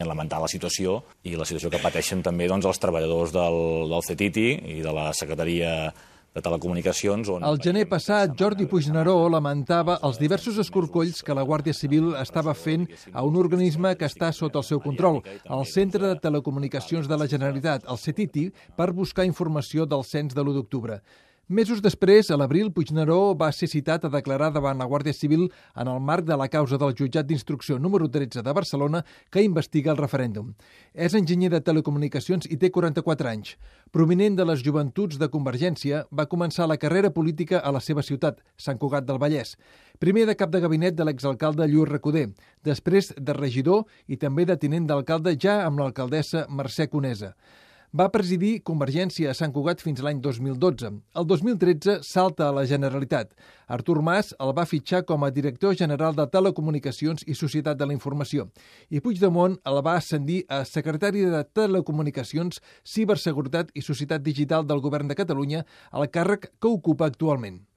Lamentar la situació i la situació que pateixen també els treballadors del CETITI i de la Secretaria de Telecomunicacions. El gener passat, Jordi Puigneró lamentava els diversos escorcolls que la Guàrdia Civil estava fent a un organisme que està sota el seu control, el Centre de Telecomunicacions de la Generalitat, el CETITI, per buscar informació del cens de l'1 d'octubre. Mesos després, a l'abril, Puigneró va ser citat a declarar davant la Guàrdia Civil en el marc de la causa del jutjat d'instrucció número 13 de Barcelona que investiga el referèndum. És enginyer de telecomunicacions i té 44 anys. Prominent de les joventuts de Convergència, va començar la carrera política a la seva ciutat, Sant Cugat del Vallès. Primer de cap de gabinet de l'exalcalde Lluís Recoder, després de regidor i també de tinent d'alcalde ja amb l'alcaldessa Mercè Conesa. Va presidir Convergència a Sant Cugat fins l'any 2012. El 2013 salta a la Generalitat. Artur Mas el va fitxar com a director general de Telecomunicacions i Societat de la Informació. I Puigdemont el va ascendir a secretari de Telecomunicacions, Ciberseguretat i Societat Digital del Govern de Catalunya, el càrrec que ocupa actualment.